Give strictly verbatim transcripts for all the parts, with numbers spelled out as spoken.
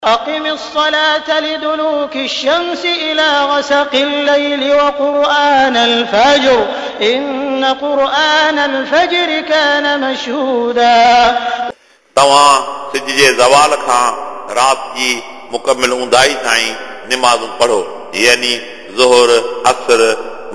أقم الصلاة لدلوك الشمس إلى غسق الليل وقرآن الفجر إن قرآن الفجر كان مشهودا. तव्हां सिज जे ज़वाल खां राति जी मुकमिल ऊंदाई ताईं निमाज़ूं पढ़ो, यानी ज़ुहर, असर,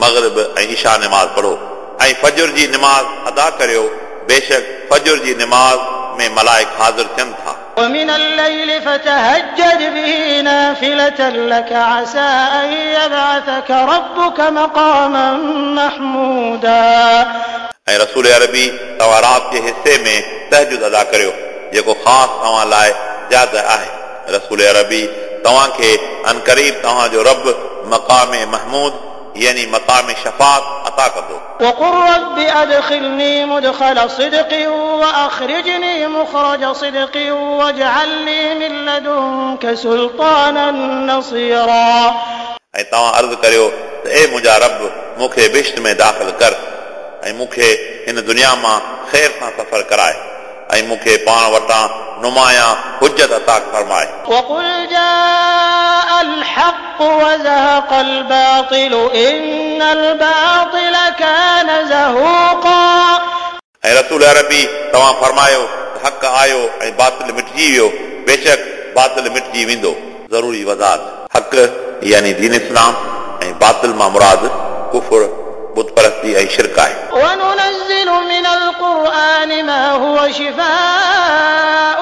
मग़रिब ऐं इशा निमाज़ पढ़ो ऐं फजुर जी निमाज़ अदा करियो। बेशक फजुर जी निमाज़ में मलाइक हाज़िर थियनि था। ومن الليل فتهجد به نافلة لك عسى أن يبعثك ربك مقاما محمودا. ऐं रसूल अरबी तव्हां राति जे हिसे में तहजुद अदा करियो जेको ख़ासि तव्हां लाइ ज़्यादा आहे। रसूल अरबी तव्हांखे अनकरीब तव्हांजो रब मक़ाम महमूद यानी मक़ाम शफ़ात अता कंदो। وقل رب أدخلني مدخل صدق وأخرجني مخرج صدق واجعل لي من لدنك سلطانا نصيرا. ऐं तव्हां अर्ज़ु करियो त ए मुंहिंजा रब, मूंखे बिश्त में दाख़िल कर ऐं मूंखे हिन दुनिया मां ख़ैर सां सफ़र कराए ऐं मूंखे पाण वटां नुमायां हुजत अता फरमाए। وقل جاء الحق وزهق الباطل إن الباطل كان زهوقا. ऐं रसूल अरबी तव्हां फरमायो त हक़ आयो ऐं बातिल मिटजी वियो, बेशक बातिल मिटजी वेंदो। ज़रूरी वज़ाहत, हक़ यानी दीन इस्लाम ऐं बातिल मां मुराद कुफुर, बुतपरस्ती ऐं शिरक आहे। وننزل من القرآن ما هو شفاء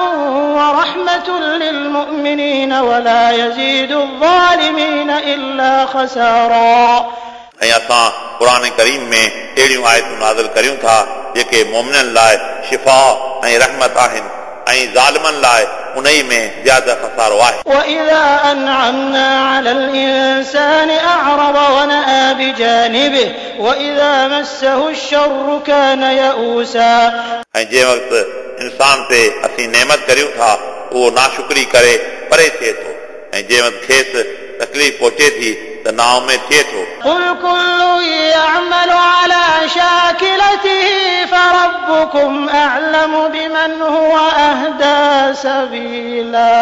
ورحمة للمؤمنين ولا يزيد الظالمين إلا خسارا. ऐं असां क़ुरान करीम में अहिड़ियूं आयतूं नाज़िल करियूं था जेके मोमिननि लाइ शिफ़ा ऐं रहमत आहिनि ऐं ज़ालिमनि लाइ उन में ज़्यादा ख़सारो आहे। وإذا أنعمنا على الإنسان أعرض ونأى بجانبه وإذا مسه الشر كان يئوسا. ऐं जंहिं वक़्तु इंसान ते असीं नेमत करियूं था उहो नाशुक्री करे परे थिए थो ऐं जंहिं वक़्तु खेसि तकलीफ़ पहुचे थी त नाउमेद थिए थो। قل كل يعمل على شاكلته فربكم أعلم بمن هو أهدى سبيلا.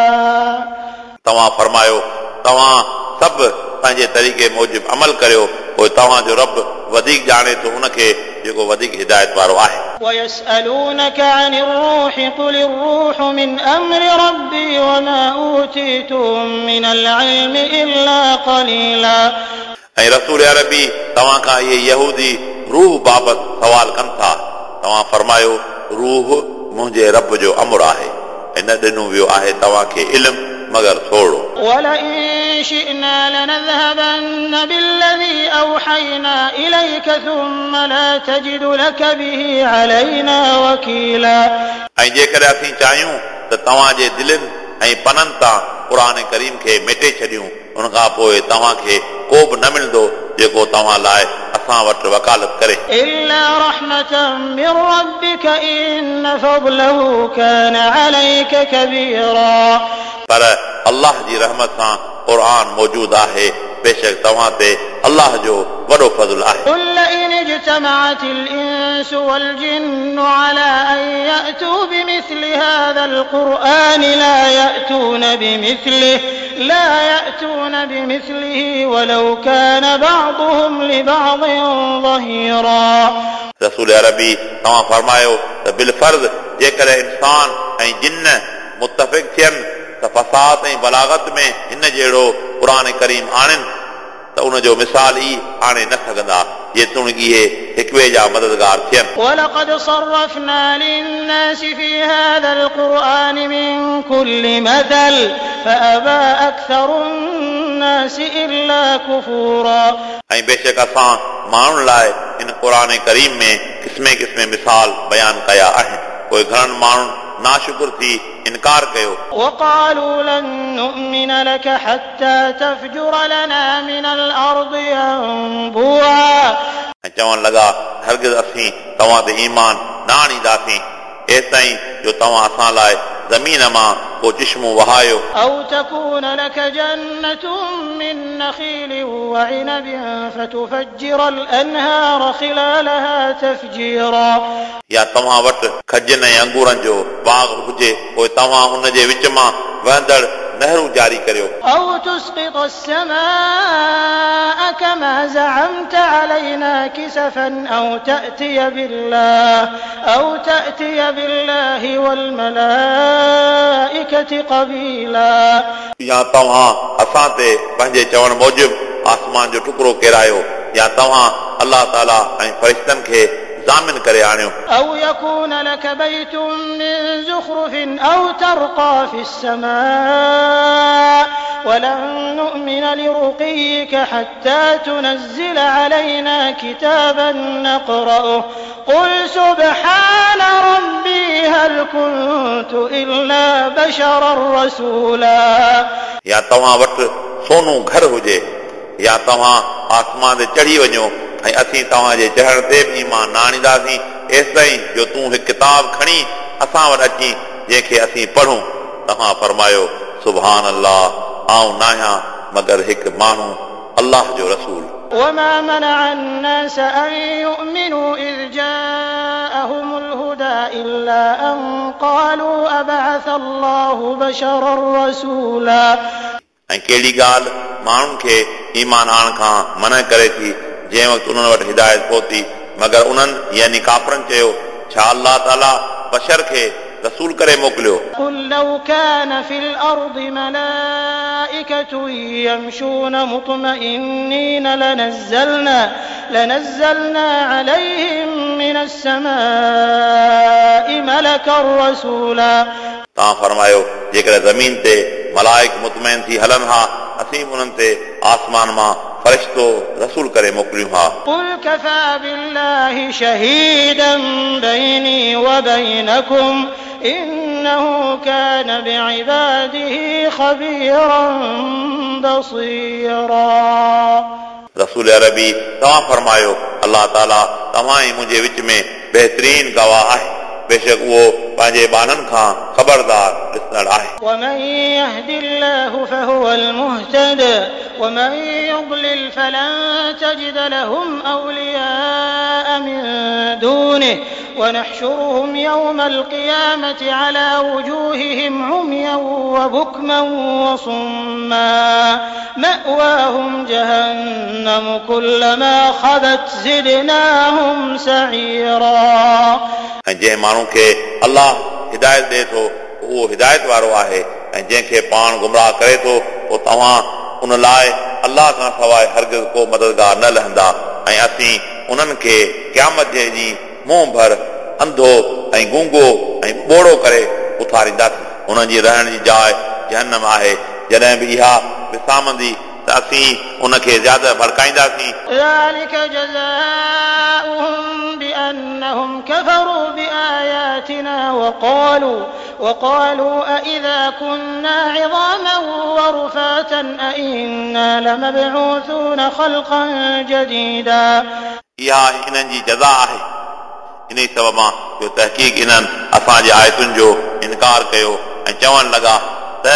तव्हां फरमायो तव्हां सभु पंहिंजे तरीक़े मूजिबि अमल करियो, पोइ तव्हांजो रब वधीक ॼाणे थो उनखे जेको वधीक हिदायत वारो आहे। ويسألونك عن الروح قل الروح من أمر ربي وما أوتيتم من العلم إلا قليلا. ऐं रसूल अरबी तव्हां खां इहे यहूदी रूह बाबति सवाल कनि था, तव्हां फरमायो रूह मुंहिंजे रब जो अमर आहे ऐं न ॾिनो वियो आहे तव्हांखे इल्मु मगर थोरो। ولئن شئنا لنذهبن بالذي أوحينا إليك ثم لا تجد لك به علينا وكيلا. ऐं जेकॾहिं असीं चाहियूं त तव्हांजे दिलनि ऐं पननि तां क़ुरान करीम खे मिटे छॾियूं, उन खां पोइ तव्हांखे को बि न मिलंदो जेको तव्हां लाइ असां वटि वकालत करे। إلا رحمة من ربك إن فضله كان عليك كبيرا. पर अल्लाह जी रहमत सां क़ुरान मौजूद आहे, बेशक तव्हां ते अल्लाह जो वॾो फज़ुल आहे। قل لئن اجتمعت الإنس والجن على أن يأتوا بمثل هذا القرآن لا يأتون بمثله لا يأتون بمثله ولو كان بعضهم لبعض ظهيرا. रसूल अरबी तव्हां फरमायो त बिलफर्ज़ जेकॾहिं इंसान ऐं जिन मुतफ़िक़ थियनि त फसाद ऐं बलागत में हिन जहिड़ो क़ुरान करीम आणनि त उन जो मिसाल ई आणे न सघंदा, जेतोणीक इहे हिक ॿिए जा मददगार थियनि। ولقد صرفنا للناس في هذا القرآن من كل مثل فأبى أكثر الناس إلا كفورا. ऐं बेशक असां माण्हुनि लाइ इन क़ुरान करीम में क़िस्मे क़िस्मे मिसाल बयानु कया आहिनि, पोइ घणनि माण्हुनि नाशुक्र थी इनकार कयो। وقالوا لن نؤمن لك حتى تفجر لنا من الأرض ينبوعا. ऐं चवणु लॻा हरगिज़ असीं तव्हां ते ईमान न आणींदासीं एसिताईं जो तव्हां असां लाइ ज़मीन मां को चिश्मो वहायो। أو تكون لك جنة من نخيل وعنب فتفجر الأنهار خلالها تفجيرا. या तव्हां वटि खजनि ऐं अंगूरनि जो बाग़ हुजे, पोइ तव्हां उन जे विच मां वहंदड़ नहरूं जारी करियो। أو تسقط السماء كما زعمت علينا كسفا أو تأتي بالله أو تأتي بالله والملائكة قبيلا या तव्हां असां ते पंहिंजे चवण मूजिबि आसमान जो टुकड़ो केरायो या तव्हां अलाह ताला ऐं फरिश्तनि खे ज़ामिन करे आणियो। أو يكون لك بيت من زخرف أو ترقى في السماء ولن نؤمن لرقيك حتى تنزل علينا كتابا نقرأه قل سبحان ربي هل كنت إلا بشرا رسولا या तव्हां वटि सोनो घर हुजे या तव्हां आसमान ते चढ़ी वञो ऐं असीं तव्हांजे चढ़ण ते बि ईमान न आणींदासीं एसिताईं जो तूं हिकु किताब खणी असां वटि अची जंहिंखे असीं पढ़ूं। तव्हां फरमायो सुभान अल्लाह, आउं नाहियां मगर हिकु माण्हू अल्लाह जो रसूल। وما منع الناس أن يؤمنوا إذ جاءهم الهدى إلا أن قالوا أبعث الله بشرا رسولا ऐं कहिड़ी ॻाल्हि माण्हुनि खे ईमान आणण खां मना करे थी जंहिं वक़्तु उन्हनि वटि हिदायत पहुती, मगर उन्हनि यानी काफ़रनि चयो छा अल्लाह ताला बशर खे रसूल करे मोकिलियो। قل لو كان في الأرض ملائكة يمشون مطمئنين لنزلنا لنزلنا عليهم من السماء ملكا رسولا तव्हां फरमायो जेकॾहिं ज़मीन ते मलाइक मुतमैन थी हलनि हा असीं बि उन्हनि ते आसमान मां फरिश्तो रसूल करे मोकिलियूं हा। قل كفى بالله شهيدا بيني وبينكم إنه كان بعباده خبيرا بصيرا रसूल अरबी तव्हां फरमायो अल्लाह ताला तव्हां ऐं मुंहिंजे विच में बहितरीन गवाह आहे, बेशक उहो पंहिंजे ॿारनि खां ख़बरदार ॾिसंदड़ आहे। ومن يهد الله فهو المهتد ومن يضلل فلن تجد لهم أولياء من دونه ونحشرهم يوم القيامة على وجوههم عميا وبكما وصما مأواهم جهنم كلما خبت زدناهم سعيرا ऐं जंहिं माण्हू खे अल्लाह हिदायत ॾिए थो उहो हिदायत वारो आहे ऐं जंहिंखे पाण गुमराह करे थो पोइ तव्हां उन लाइ अल्लाह खां सवाइ हरगिज़ को मददगार न लहंदा ऐं असीं उन्हनि खे क़यामत जे ॾींहुं मुंहुं भर अंधो ऐं गूंगो ऐं ॿोड़ो करे उथारींदासीं। उन्हनि जी रहण जी जाइ जहन्नम आहे, जॾहिं बि इहा विसामंदी त असीं उनखे ज़्यादा भड़काईंदासीं। ذلك جزاؤهم بأنهم كفروا بآياتنا وقالوا وقالوا أإذا كنا عظاما ورفاتا أإنا لمبعوثون خلقا جديدا इहा इन्हनि जी जज़ा आहे इन ई सबब मां जो तहक़ीक़ इन्हनि असांजे आयतुनि जो इनकार कयो ऐं चवणु लॻा त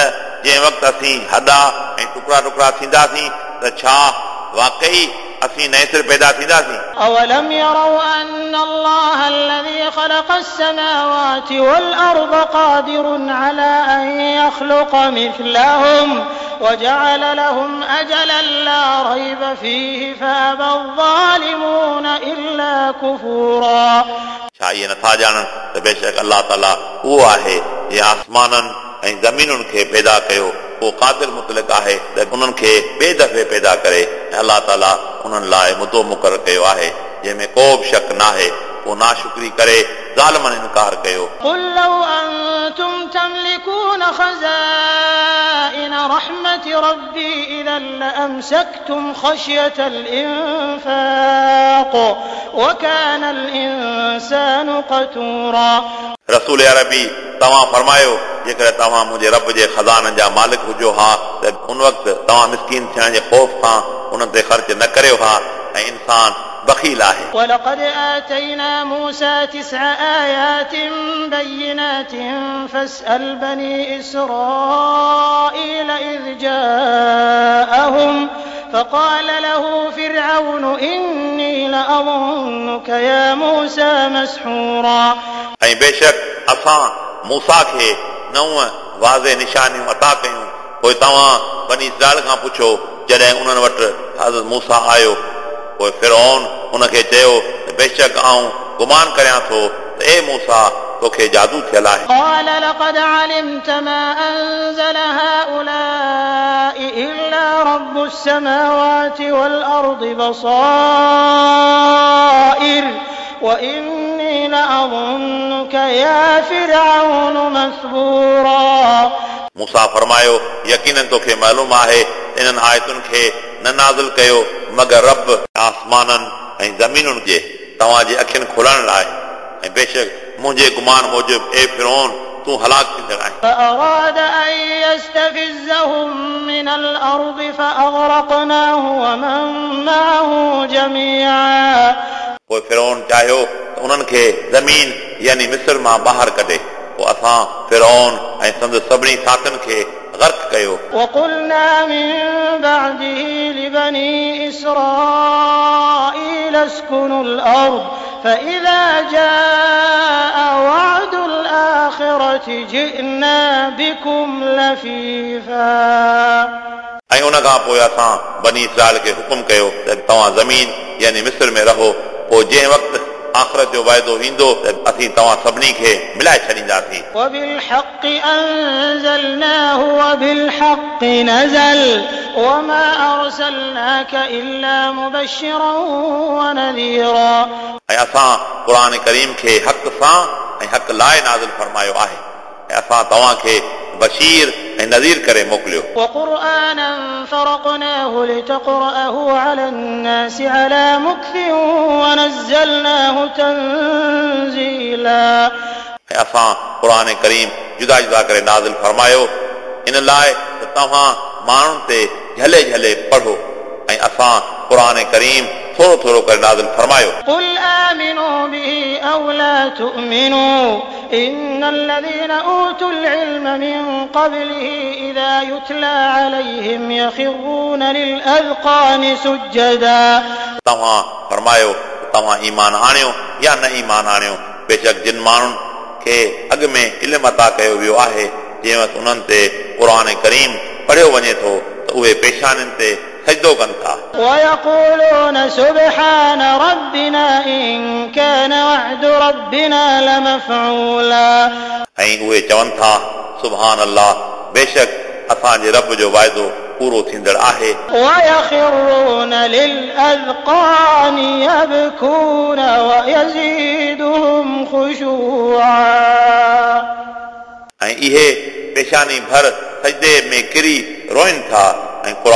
जंहिं वक़्तु असीं हॾा ऐं टुकड़ा टुकड़ा थींदासीं त छा वाकई असीं नए सिर पैदा थींदासीं। أولم يروا أن الله الذي خلق السماوات والأرض قادر على أن يخلق مثلهم وجعل لهم أجلا لا ريب فيه فأبى الظالمون إلا كفورا छा इहे नथा ॼाणनि त बेशक अल्लाह ताला उहो आहे जंहिं आसमाननि ऐं ज़मीनुनि खे पैदा कयो, उहो क़ादिर मुतलिक आहे त उन्हनि खे ॿिए दफ़े पैदा करे ऐं अल्लाह ताला उन्हनि लाइ मुदो मुक़ररु कयो आहे जंहिंमें को बि शक नाहे, पोइ नाशुक्री करे ज़ालिमनि इनकार कयो। قل لو أنتم تملكون خزائن رحمة ربي إذا لأمسكتم خشية الإنفاق وكان الإنسان قتورا रसूल अरबी तव्हां फरमायो जेकॾहिं तव्हां मुंहिंजे रब जे ख़ज़ाननि जा मालिक हुजो हा त उन वक़्तु तव्हां मिसकीन थियण जे ख़ौफ़ खां उन्हनि ते ख़र्च न करियो हा ऐं इंसान बखील आहे। ولقد آتينا موسى تسع آيات بينات فاسأل بني إسرائيل إذ جاءهم فقال له فرعون إني لأظنك يا موسى مسحورا ऐं बेशक असां मूसा खे नव वाज़े निशानियूं अता कयूं, पोइ तव्हां बनी इसराइल खां पुछो जॾहिं उन्हनि वटि हज़रत मूसा आयो। पोइ फिरौन उनखे चयो त बेशक आउं गुमान करियां थो त ए मूसा तोखे जादू थियल आहे। قال لقد علمت ما أنزل هؤلاء إلا رب السماوات والأرض بصائر وإني لأظنك يا فرعون مثبورا. मूसा फरमायो यकीनन तोखे मालूम आहे इन्हनि आयतुनि खे न नाज़िल कयो मगर रब आसमाननि ऐं ज़मीनुनि जे तव्हांजे अखियुनि खोलण लाइ ऐं बेशक मुंहिंजे गुमान मूजिबि ए फिरौन तूं हलाक थींदड़ आहीं। فأراد أن يستفزهم من الأرض فأغرقناه ومن معه جميعا. पोइ फिरौन चाहियो त उन्हनि खे ज़मीन यानी मिस्र मां ॿाहिरि कढे, पोइ असां फिरौन ऐं संदसि सभिनी साथियुनि खे गर्क कयो। وقلنا من بعده لبني إسرائيل اسكنوا الأرض فإذا جاء وعد الآخرة جئنا بكم لفيفا. ऐं उन खां पोइ असां बनी इसराइल खे हुकुम कयो त तव्हां ज़मीन यानी मिस्र में रहो, पोइ जंहिं वक़्तु आख़िरत जो वाइदो ईंदो त असीं तव्हां सभिनी खे मिलाए छॾींदासीं। وبالحق أنزلناه وبالحق نزل وما أرسلناك إلا مبشرا ونذيرا. ऐं असां क़ुर करीम खे हक़ सां ऐं हक़ लाइ नाज़िल फरमायो आहे ऐं असां तव्हां खे बशीर ऐं नज़ीर करे मोकिलियो। وقرآنا فرقناه لتقرأه على الناس على مكث ونزلناه تنزيلا. ऐं असां क़ुर करीम जुदा जुदा करे नाज़िल फरमायो इन लाइ त तव्हां माण्हुनि ते झले झले पढ़ो ऐं असां क़ुर करीम थोरो थोरो करे नाज़िल फरमायो। قل آمنوا به أو لا تؤمنوا إن الذين أوتوا العلم من قبله إذا يتلى عليهم يخرون للأذقان سجدا. तव्हां फरमायो तव्हां ईमान आणियो या न ईमान आणियो, बेशक जिन माण्हुनि खे अॻु में इल्मु अता कयो वियो आहे जंहिं वक़्तु उन्हनि ते क़ुर करीम पढ़ियो वञे थो त उहे पेशानियुनि ते सजदो कनि था। ويقولون سبحان ربنا إن كان وعد ربنا لمفعولا. ऐं उहे चवनि था सुभान अल्लाह बेशक असांजे रब जो वाइदो पूरो थींदड़ आहे। ويخرون للأذقان يبكون ويزيدهم خشوعا. ऐं इहे पेशानी भर सजदे में किरी रोइनि था ऐं क़ुर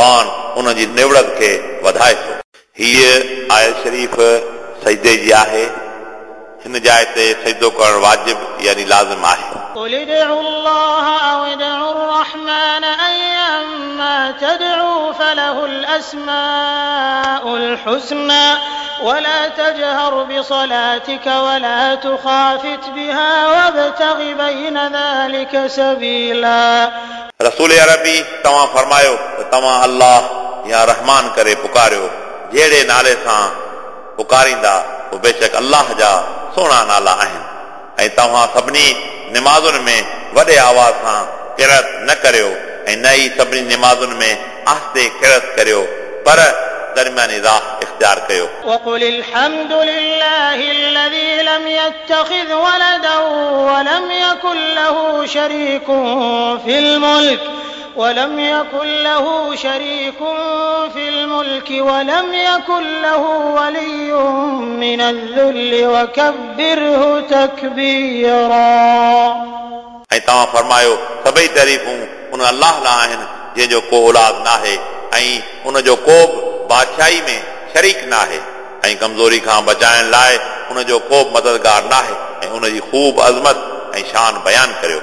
उन जी निवड़त खे वधाए थो। हीअ आयत शरीफ़ सजदे जी आहे। हिन जाइ ते सजदो करणु वाजिब यानी लाज़िम आहे। قل ادعوا الله أو ادعوا الرحمن أيا ما تدعوا فله الأسماء الحسنى ولا تجهر بصلاتك ولا تخافت بها وابتغ بين ذلك سبيلا. रसूल अरबी तव्हां फरमायो त तव्हां अल्लाह या रहमान करे पुकारियो, जहिड़े नाले सां पुकारींदा पोइ बेशक अल्लाह जा सुहिणा नाला आहिनि। ऐं तव्हां सभिनी निमाज़ुनि में वॾे आवाज़ सां किरत न करियो ऐं न ई सभिनी निमाज़ुनि में आहिस्ते किरत करियो, पर दरमियानी राह इख़्तियार कयो। وقل الحمد لله الذي لم يتخذ ولدا ولم يكن له شريك في الملك ولم يكن له شريك في الملك ولم يكن له ولي من الذل وكبره تكبيرا. ऐं तव्हां फरमायो सभई तारीफ़ूं उन अल्लाह लाइ आहिनि जंहिंजो को औलाद नाहे ऐं उनजो को बि बादशाही में शरीक नाहे ऐं कमज़ोरी खां बचाइण लाइ उनजो को बि मददगार नाहे ऐं उनजी ख़ूब अज़मत ऐं शान बयानु करियो।